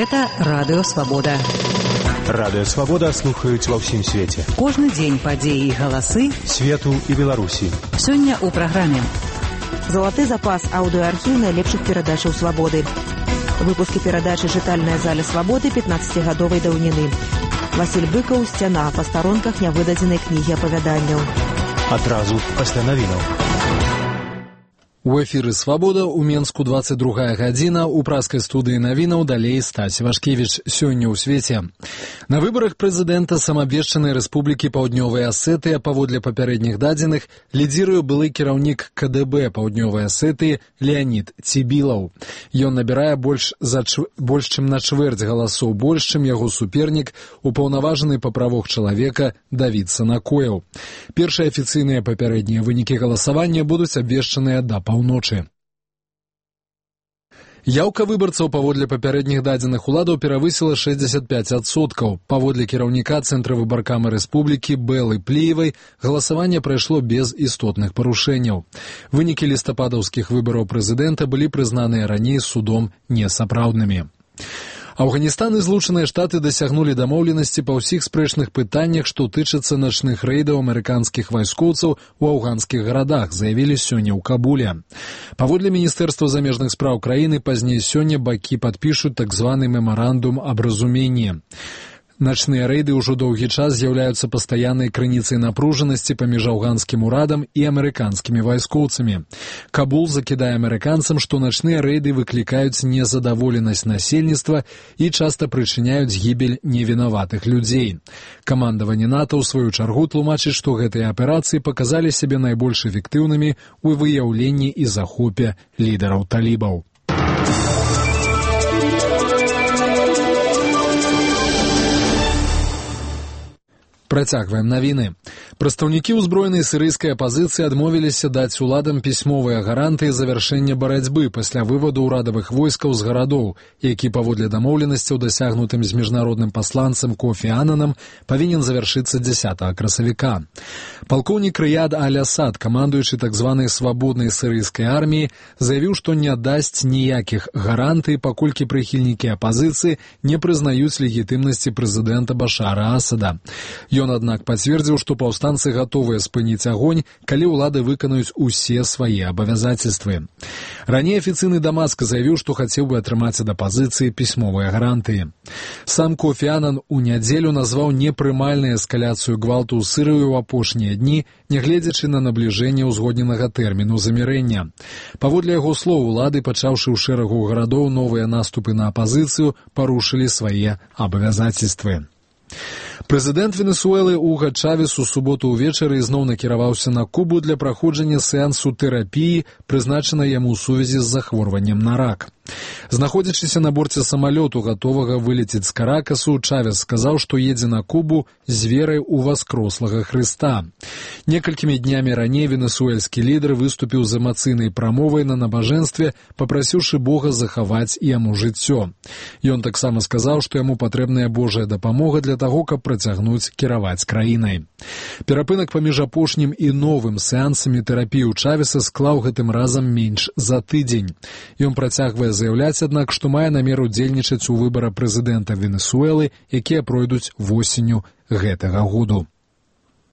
Гэта Радыё Свабода. Радыё Свабода слухаюць ва ўсім свеце. Кожны дзень падзеі і галасы свету і Беларусі. Сёння ў праграме залаты запас аўдыоархіў найлепшых перадачаў Свабоды. Выпускі перадачы «Чытальная заля Свабоды» 15-гадовай даўніны. Васіль Быкаў, «Сцяна», па старонках нявыдадзенай кнігі апавяданняў. Адразу пасля навінаў. У эфіры «Свабода» у Менску 22 гадзіна, у праскай студыі навінаў далей Стась Вашкевіч. Сёння ў свеце. На выбарах прэзідэнта самабвешчанай рэспублікі Паўднёвая Асетыя паводле папярэдніх дадзеных лідзіруе былы кіраўнік КДБ Паўднёвай Асетыі Леанід Цібілаў. Ён набірае больш чым на чвэрць галасоў больш, чым яго супернік, упаўнаважаны па правах чалавека Давід Санакоеў. Першыя афіцыйныя папярэднія вынікі галасавання будуць абвешчаныя да паўночы. Яўка выбарцаў паводле папярэдніх дадзеных уладаў перавысіла 65%. Паводле кіраўніка Цэнтра выбаркамы рэспублікі Бэлы Пліевай галасаванне прайшло без істотных парушэнняў. Вынікі лістападаўскіх выбараў прэзідэнта былі прызнаныя раней судом несапраўднымі. Афганістан і Злучаныя Штаты дасягнулі дамоўленасці па ўсіх спрэчных пытаннях, што тычацца начных рэйдаў амерыканскіх вайскоўцаў у афганскіх гарадах, заявілі сёння ў Кабуле. Паводле Міністэрства замежных спраў краіны, пазней сёння бакі падпішуць так званы мемарандум аб разуменні. Начныя рэйды ўжо доўгі час з'яўляюцца пастаяннай крыніцай напружанасці паміж афганскім урадам і амерыканскімі вайскоўцамі. Кабул закідае амерыканцам, што начныя рэйды выклікаюць незадаволенасць насельніцтва і часта прычыняюць гібель невінаватых людзей. Камандаванне НАТО ў сваю чаргу тлумачыць, што гэтыя аперацыі паказалі сябе найбольш эфектыўнымі ў выяўленні і захопе лідараў талібаў. Працягваем навіны. Прадстаўнікі ўзброенай сірыйскай апазіцыі адмовіліся даць уладам пісьмовыя гарантыі завяршэння барацьбы пасля вываду ўрадавых войскаў з гарадоў, які паводле дамоўленасцяў, дасягнутым з міжнародным пасланцам Кофі Ананам, павінен завяршыцца 10 красавіка. Палкоўнік Рыяд Аль-Асад, камандуючы так званай свабоднай сірыйскай арміі, заявіў, што не дасць ніякіх гарантый, паколькі прыхільнікі апазіцыі не прызнаюць легітымнасці прэзідэнта Башара Асада. Ён, аднак, пацвердзіў, што паўстанцы гатовыя спыніць агонь, калі ўлады выканаюць усе свае абавязацельствы. Раней афіцыйны Дамаск заявіў, што хацеў бы атрымаць ад апазіцыі пісьмовыя гарантыі. Сам Кофі Анан у нядзелю назваў непрымальнай эскаляцыю гвалту ў Сірыі ў апошнія дні, нягледзячы на набліжэнне ўзгодненага тэрміну замірэння. Паводле яго слоў, улады, пачаўшы ў шэрагу гарадоў новыя наступы на апазіцыю, парушылі свае абавязацельствы. Прэзідэнт Венесуэлы Уга Чавес у суботу ўвечары ізноў накіраваўся на Кубу для праходжання сеансу тэрапіі, прызначанай яму ў сувязі з захворваннем на рак. Знаходзячыся на борце самалёту, гатовага вылецець з Каракасу, Чавес сказаў, што едзе на Кубу з верай у васкрослага Хрыста. Некалькімі днямі раней венесуэльскі лідар выступіў з эмацыйнай прамовай на набажэнстве, папрасіўшы Бога захаваць яму жыццё. Ён таксама сказаў, што яму патрэбная Божая дапамога для таго, каб працягнуць кіраваць краінай. Перапынак паміж апошнім і новым сеансамі тэрапіі ў Чавеса склаў гэтым разам менш за тыдзень. Ён працягвае заяўляць, аднак, што мае намер удзельнічаць у выбары прэзідэнта Венесуэлы, якія пройдуць восенню гэтага году.